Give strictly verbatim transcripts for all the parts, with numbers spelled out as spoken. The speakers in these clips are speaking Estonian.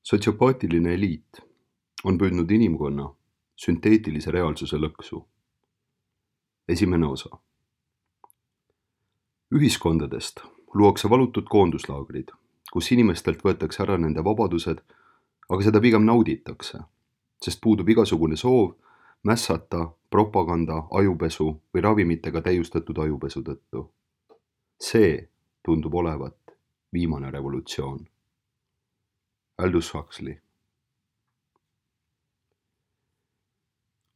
Sotsiopaatiline eliit on püüdnud inimkonna sünteetilise reaalsuse lõksu. Esimene osa. Ühiskondadest luuakse valutud koonduslaagrid, kus inimestelt võetakse ära nende vabadused, aga seda pigem nauditakse, sest puudub igasugune soov mässata propaganda, ajupesu või ravimitega täiustatud ajupesu tõttu. See tundub olevat viimane revolutsioon. Aldous Huxley.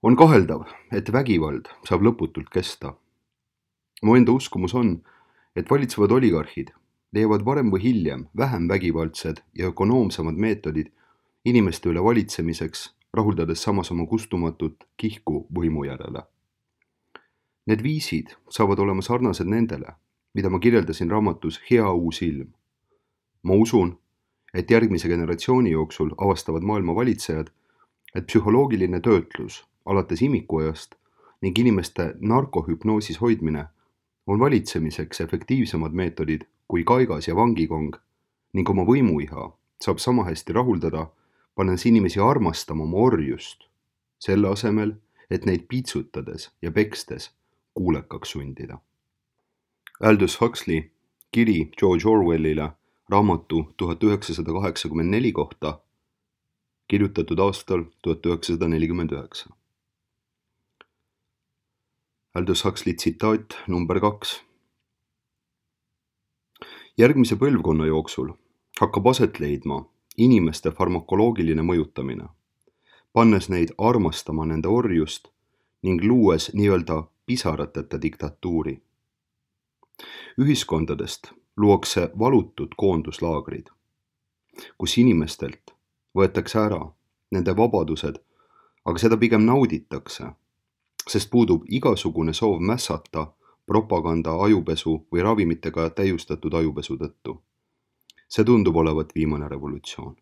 On kaheldav, et vägivald saab lõputult kesta. Mu enda uskumus on, et valitsevad oligarhid leiavad varem või hiljem vähem vägivaldsed ja ökonoomsamad meetodid inimeste üle valitsemiseks, rahuldades samas oma kustumatut kihku võimu järele. Need viisid saavad olema sarnased nendele, mida ma kirjeldasin raamatus Hea uus ilm. Ma usun, et järgmise generatsiooni jooksul avastavad maailma valitsejad, et psühholoogiline töötlus alates imikuajast ning inimeste narkohüpnoosis hoidmine on valitsemiseks efektiivsemad meetodid kui kaigas ja vangikong ning oma võimuiha saab sama hästi rahuldada, pannes inimesi armastama oma orjust, selle asemel, et neid piitsutades ja pekstes kuulekaks sundida. Aldous Huxley kiri George Orwellile raamatu tuhat üheksasada kaheksakümmend neli kohta, kirjutatud aastal tuhat üheksasada nelikümmend üheksa. Aldous Huxley tsitaat number kaks. Järgmise põlvkonna jooksul hakkab aset leidma inimeste farmakoloogiline mõjutamine, pannes neid armastama nende orjust ning luues nii-öelda pisarateta diktatuuri. Ühiskondadest luuakse valutud koonduslaagrid, kus inimestelt võetakse ära nende vabadused, aga seda pigem nauditakse, sest puudub igasugune soov mässata propaganda, ajupesu või ravimitega täiustatud ajupesu tõttu. See tundub olevat viimane revolutsioon.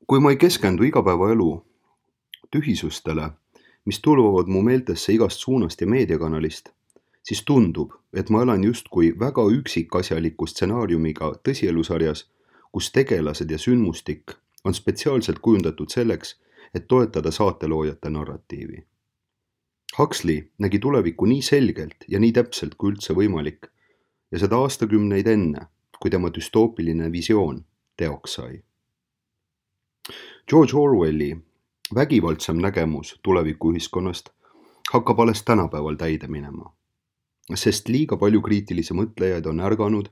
Kui ma ei keskendu igapäevaelu tühisustele, mis tulvavad mu meeltesse igast suunast ja meediakanalist, siis tundub, et ma elan justkui väga üksikasjaliku stsenaariumiga tõsielusarjas, kus tegelased ja sündmustik on spetsiaalselt kujundatud selleks, et toetada saateloojate narratiivi. Huxley nägi tulevikku nii selgelt ja nii täpselt kui üldse võimalik ja seda aastakümneid enne, kui tema düstoopiline visioon teoks sai. George Orwelli vägivaldsam nägemus tulevikuühiskonnast hakkab alles tänapäeval täide minema, sest liiga palju kriitilisi mõtlejaid on ärganud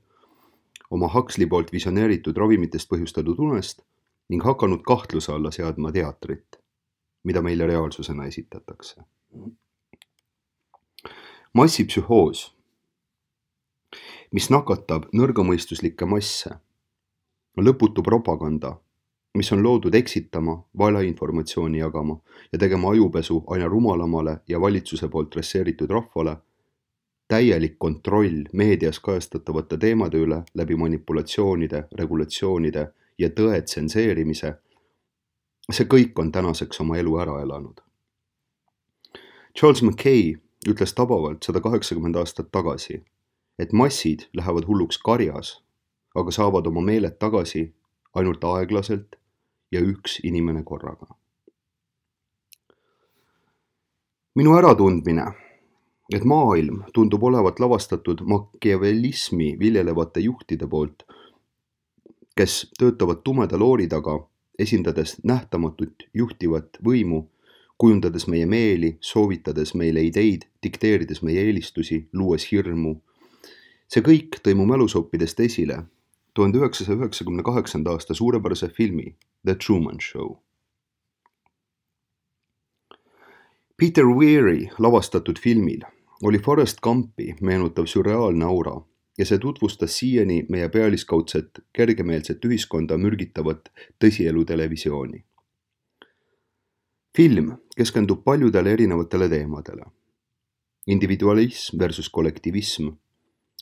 oma Huxley poolt visioneeritud ravimitest põhjustatud unest ning hakanud kahtluse alla seadma teatrit, mida meile reaalsusena esitatakse. Massipsühhoos, mis nakatab nõrgamõistuslikke masse, lõputu propaganda, mis on loodud eksitama, valeinformatsiooni jagama ja tegema ajupesu aina rumalamale ja valitsuse poolt dresseeritud rahvale, täielik kontroll meedias kajastatavate teemade üle läbi manipulatsioonide, regulatsioonide ja tõe tsenseerimise, see kõik on tänaseks oma elu ära elanud. Charles Mackay ütles tabavalt sada kaheksakümmend aastat tagasi, et massid lähevad hulluks karjas, aga saavad oma meeled tagasi ainult aeglaselt ja üks inimene korraga. Minu äratundmine, et maailm tundub olevat lavastatud makiavellismi viljelevate juhtide poolt, kes töötavad tumeda loori taga, esindades nähtamatut juhtivat võimu, kujundades meie meeli, soovitades meile ideid, dikteerides meie eelistusi, luues hirmu. See kõik tõi mu mälusoppidest esile tuhande üheksasaja üheksakümne kaheksanda aasta suurepärase filmi The Truman Show. Peter Weiri lavastatud filmil oli Forrest Gumpi meenutav sürreaalne aura ja see tutvustas siiani meie pealiskaudset kergemeelset ühiskonda mürgitavat tõsielu televisiooni. Film keskendub paljudele erinevatele teemadele. Individualism versus kollektivism,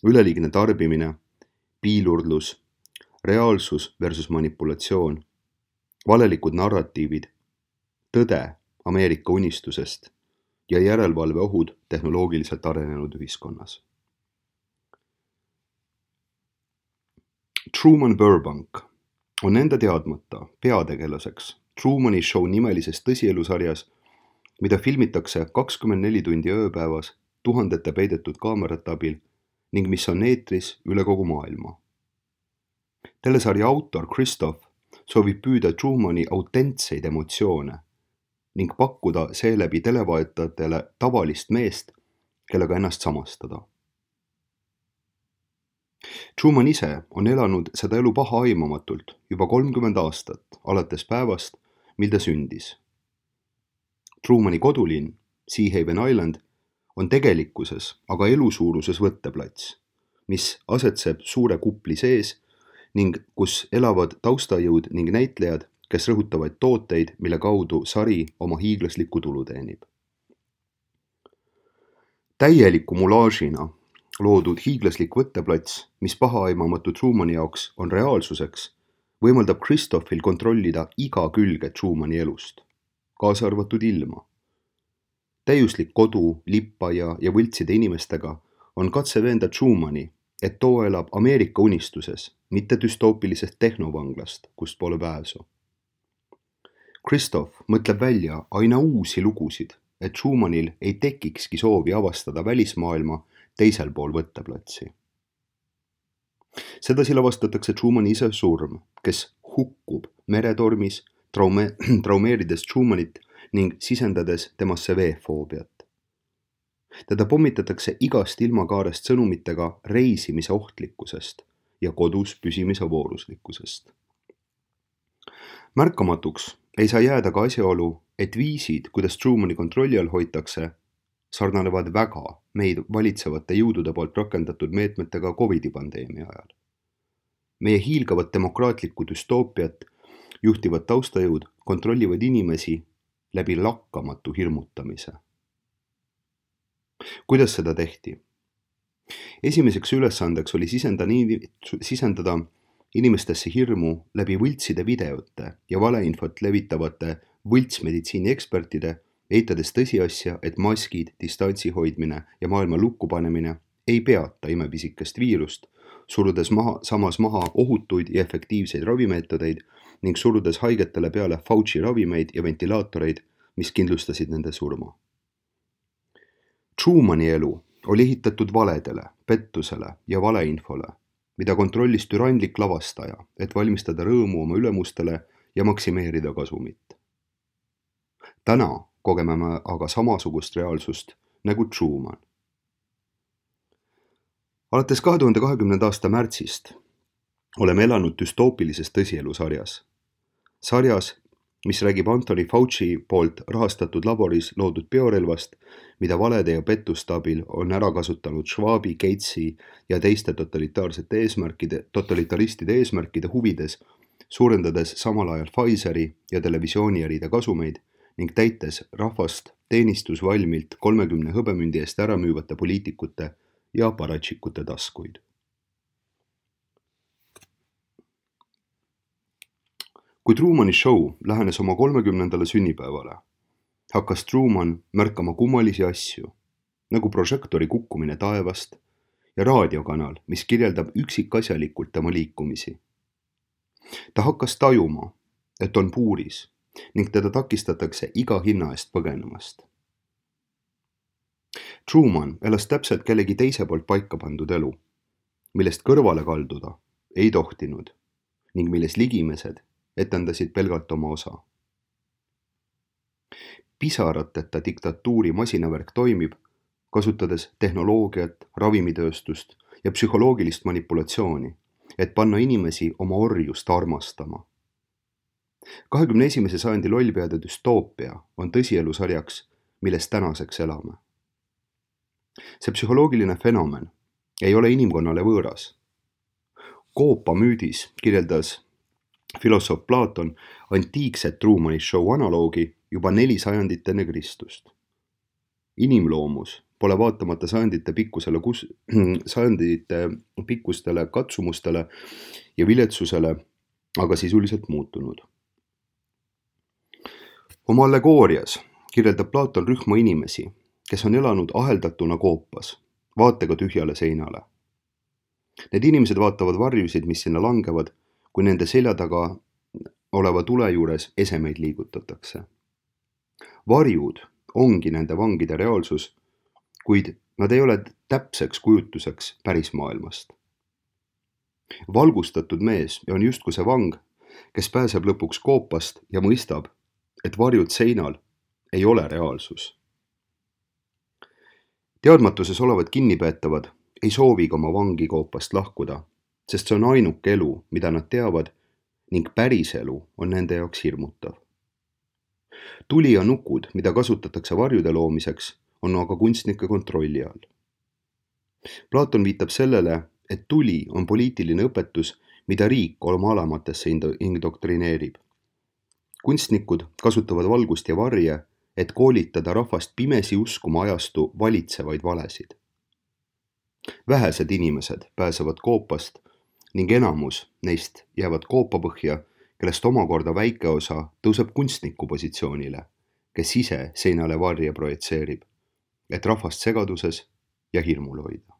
üleliigne tarbimine, piilurdlus, reaalsus versus manipulatsioon, valelikud narratiivid, tõde Ameerika unistusest ja järelevalve ohud tehnoloogiliselt arenenud ühiskonnas. Truman Burbank on enda teadmata peategelaseks Trumani Show nimelises tõsielusarjas, mida filmitakse kakskümmend neli tundi ööpäevas tuhandete peidetud kaamerate abil ning mis on eetris üle kogu maailma. Telesarja autor Christoph soovib püüda Trumani autentseid emotsioone ning pakkuda seeläbi televaatajatele tavalist meest, kellega ennast samastada. Truman ise on elanud seda elu pahaaimamatult juba kolmkümmend aastat, alates päevast, mil ta sündis. Trumani kodulinn, Seahaven Island, on tegelikkuses aga elusuuruses võtteplats, mis asetseb suure kupli sees ning kus elavad taustajõud ning näitlejad, kes rõhutavad tooteid, mille kaudu sari oma hiiglaslikku tulu teenib. Täieliku mulaažina loodud hiiglaslik võtteplats, mis pahaaimamatut Trumani jaoks on reaalsuseks, võimaldab Christophil kontrollida iga külge Trumani elust, kaasa arvatud ilma. Täiuslik kodu, lippaia ja võltside inimestega on katse veenda Trumani, et too elab Ameerika unistuses, mitte düstoopilisest tehnovanglast, kust pole pääsu. Christoph mõtleb välja aina uusi lugusid, et Trumanil ei tekikski soovi avastada välismaailma teisel pool võtteplatsi. Sedasi lavastatakse Trumani ise surm, kes hukkub meretormis, traume- traumeerides Trumanit ning sisendades temasse veefoobiat. Teda pommitatakse igast ilmakaarest sõnumitega reisimise ohtlikkusest ja kodus püsimise vooruslikkusest. Märkamatuks ei saa jääda ka asjaolu, et viisid, kuidas Trumani kontrolli all hoitakse, sarnanevad väga meid valitsevate jõudude poolt rakendatud meetmetega Covidi pandeemia ajal. Meie hiilgavat demokraatlikku düstoopiat juhtivad taustajõud kontrollivad inimesi läbi lakkamatu hirmutamise. Kuidas seda tehti? Esimeseks ülesandeks oli sisendada inimestesse hirmu läbi võltside videote ja valeinfot levitavate võltsmeditsiini ekspertide, eitades tõsiasja, et maskid, distantsi hoidmine ja maailma lukku panemine ei peata imepisikest viirust, surudes maha, samas maha ohutuid ja efektiivseid ravimeetodeid ning surudes haigetele peale Fauci ravimeid ja ventilaatoreid, mis kindlustasid nende surma. Trumani elu oli ehitatud valedele, pettusele ja valeinfole, mida kontrollis türanlik lavastaja, et valmistada rõõmu oma ülemustele ja maksimeerida kasumit. Täna kogeme me aga samasugust reaalsust nagu Truman. Alates kahe tuhande kahekümnenda aasta märtsist oleme elanud düstoopilises tõsielusarjas. Sarjas, mis räägib Anthony Fauci poolt rahastatud laboris loodud biorelvast, mida valede ja pettuste abil on ära kasutanud Schwabi, Gatesi ja teiste totalitaarsete eesmärkide, totalitaristide eesmärkide huvides, suurendades samal ajal Pfizeri ja televisiooniäride kasumeid ning täites rahvast teenistusvalmilt kolmekümne hõbemündi eest ära müüvate poliitikute ja paratšikute taskuid. Kui Trumani show lähenes oma kolmekümnendale sünnipäevale, hakkas Truman märkama kummalisi asju, nagu prožektori kukkumine taevast ja raadiokanal, mis kirjeldab üksikasjalikult tema liikumisi. Ta hakkas tajuma, et on puuris ning teda takistatakse iga hinna eest põgenemast. Truman elas täpselt kellegi teise poolt paika pandud elu, millest kõrvale kalduda ei tohtinud ning milles ligimesed etendasid pelgalt oma osa. Pisarateta diktatuuri masinavärk toimib, kasutades tehnoloogiat, ravimitööstust ja psühholoogilist manipulatsiooni, et panna inimesi oma orjust armastama. kahekümne esimese sajandi lollpeade düstoopia on tõsielusarjaks, milles tänaseks elame. See psühholoogiline fenomen ei ole inimkonnale võõras. Koopa müüdis kirjeldas filosoof Platon antiikset Trumani show analoogi juba neli sajandit enne Kristust. Inimloomus pole vaatamata sajandite pikkusele, kus, sajandite pikkustele katsumustele ja viletsusele aga sisuliselt muutunud. Oma allegoorias kirjeldab Platon rühma inimesi, kes on elanud aheldatuna koopas, vaatega tühjale seinale. Need inimesed vaatavad varjusid, mis sinna langevad, kui nende selja taga oleva tule juures esemeid liigutatakse. Varjud ongi nende vangide reaalsus, kuid nad ei ole täpseks kujutuseks päris maailmast. Valgustatud mees on justkui see vang, kes pääseb lõpuks koopast ja mõistab, et varjud seinal ei ole reaalsus. Teadmatuses olevad kinnipeetavad ei soovigi oma vangi koopast lahkuda, sest see on ainuke elu, mida nad teavad ning päris elu on nende jaoks hirmutav. Tuli ja nukud, mida kasutatakse varjude loomiseks, on aga kunstnike kontrolli all. Platon viitab sellele, et tuli on poliitiline õpetus, mida riik oma alamatesse indoktrineerib. Kunstnikud kasutavad valgust ja varje, et koolitada rahvast pimesi uskuma ajastu valitsevaid valesid. Vähesed inimesed pääsevad koopast ning enamus neist jäävad koopapõhja, kellest omakorda väike osa tõuseb kunstniku positsioonile, kes ise seinale varje projitseerib, et rahvast segaduses ja hirmul hoida.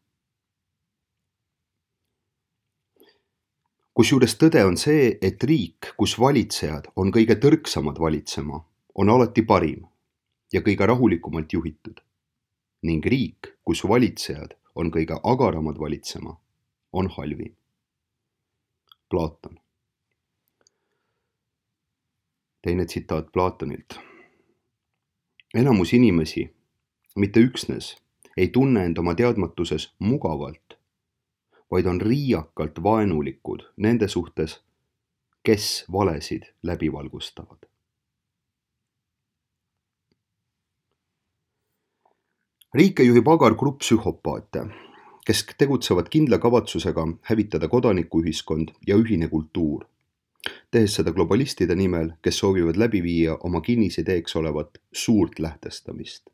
Kusjuures tõde on see, et riik, kus valitsejad on kõige tõrksamad valitsema, on alati parim ja kõige rahulikumalt juhitud. Ning riik, kus valitsejad on kõige agaramad valitsema, on halvim. Platon. Teine tsitaat Platonilt. Enamus inimesi, mitte üksnes, ei tunne end oma teadmatuses mugavalt, vaid on riiakalt vaenulikud nende suhtes, kes valesid läbi valgustavad. Riike juhib agar grupp psühhopaate, kes tegutsevad kindla kavatsusega hävitada kodanikuühiskond ja ühine kultuur, tehes seda globalistide nimel, kes soovivad läbi viia oma kinnisideeks olevat suurt lähtestamist.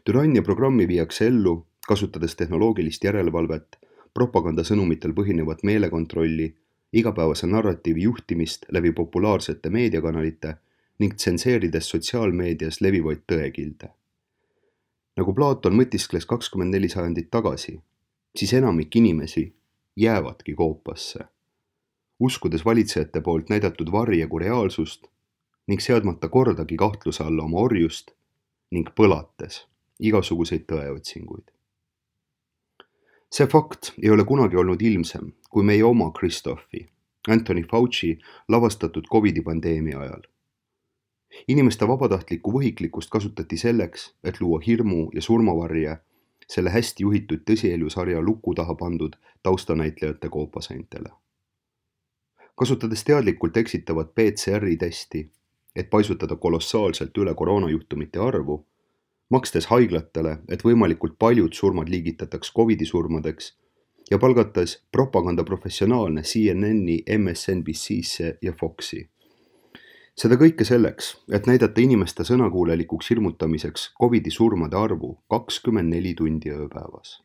Türannia programmi viiakse ellu, kasutades tehnoloogilist järelevalvet, propagandasõnumitel põhinevat meelekontrolli, igapäevase narratiivi juhtimist läbi populaarsete meediakanalite ning tsenseerides sotsiaalmeedias levivaid tõekilde. Nagu Platon mõtiskles kakskümmend neli sajandit tagasi, siis enamik inimesi jäävadki koopasse, uskudes valitsejate poolt näidatud varje kui reaalsust ning seadmata kordagi kahtluse alla oma orjust ning põlates igasuguseid tõeotsinguid. See fakt ei ole kunagi olnud ilmsem, kui meie oma Christophi, Anthony Fauci lavastatud Covidi pandeemia ajal. Inimeste vabatahtlikku võhiklikkust kasutati selleks, et luua hirmu ja surmavarje selle hästi juhitud tõsielusarja luku taha pandud taustanäitlejate koopaseintele. Kasutades teadlikult eksitavat P C R-i testi, et paisutada kolossaalselt üle koroonajuhtumite arvu, makstes haiglatele, et võimalikult paljud surmad liigitataks Covidi surmadeks ja palgates propagandaprofessionaalne C N N-i, M S N B C-sse ja Foxi. Seda kõike selleks, et näidata inimeste sõnakuulelikuks hirmutamiseks Covidi surmade arvu kakskümmend neli tundi ööpäevas.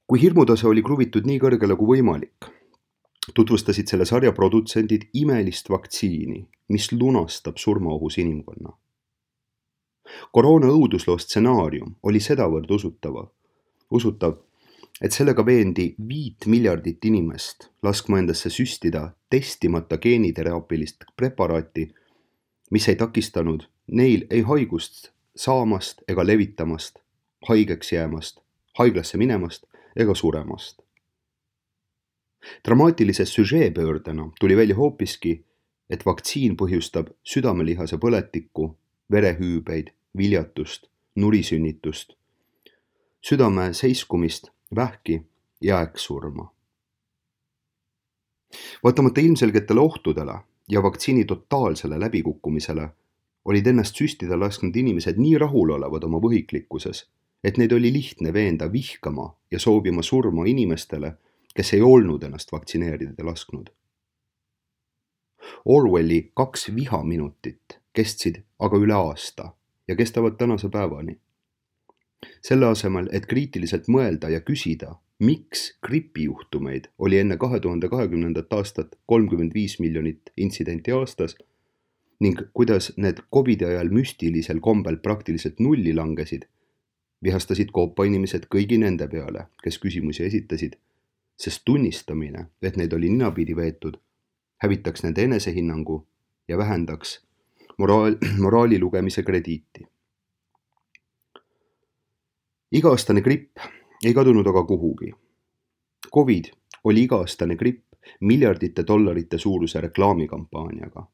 Kui hirmutase oli kruvitud nii kõrgele kui võimalik, tutvustasid selle sarja produtsendid imelist vaktsiini, mis lunastab surmaohus inimkonna. Koroona õudusloo stsenaarium oli sedavõrd usutava, usutav, et sellega veendi viit miljardit inimest laskma endasse süstida testimata geeniteraapilist preparaati, mis ei takistanud neil ei haigust saamast ega levitamast, haigeks jäämast, haiglasse minemast ega suremast. Dramaatilise süžeepöördena tuli välja hoopiski, et vaktsiin põhjustab südamelihase põletikku, verehüübeid, viljatust, nurisünnitust, südame seiskumist, vähki ja äkksurma. Vaatamata ilmselgetele ohtudele ja vaktsiini totaalsele läbikukkumisele olid ennast süstida lasknud inimesed nii rahulolevad oma võhiklikkuses, et neid oli lihtne veenda vihkama ja soovima surma inimestele, kes ei olnud ennast vaktsineerida lasknud. Orwelli kaks vihaminutit kestsid aga üle aasta ja kestavad tänase päevani. Selle asemel, et kriitiliselt mõelda ja küsida, miks gripijuhtumeid oli enne kahe tuhande kahekümnendat aastat kolmkümmend viis miljonit intsidenti aastas ning kuidas need Covidi ajal müstilisel kombel praktiliselt nulli langesid, Vihastasid koopa inimesed kõigi nende peale, kes küsimusi esitasid, sest tunnistamine, et neid oli ninapidi veetud, hävitaks nende enesehinnangu ja vähendaks moraal, moraali lugemise krediiti. Iga-aastane gripp ei kadunud aga kuhugi. Covid oli iga-aastane gripp miljardite dollarite suuruse reklaamikampaaniaga.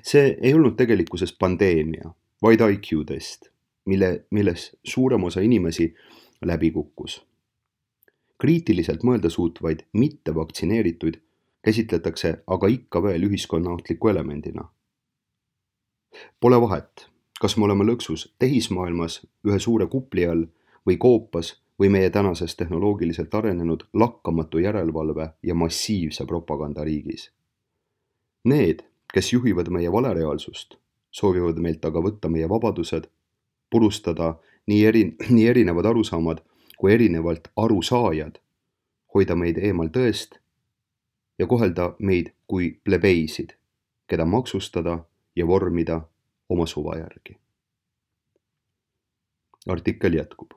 See ei olnud tegelikkuses pandeemia, vaid I Q test, mille, milles suurem osa inimesi läbi kukkus. Kriitiliselt mõelda suutvaid mittevaktsineerituid käsitletakse aga ikka veel ühiskonnaohtliku elemendina. Pole vahet, kas me oleme lõksus tehismaailmas ühe suure kupli all või koopas või meie tänases tehnoloogiliselt arenenud lakkamatu järelevalve ja massiivse propaganda riigis. Need, kes juhivad meie valereaalsust, soovivad meilt aga võtta meie vabadused, purustada nii, eri, nii erinevad arusaamad kui erinevalt arusaajad, hoida meid eemal tõest ja kohelda meid kui plebeisid, keda maksustada ja vormida oma suva järgi. Artikkel jätkub.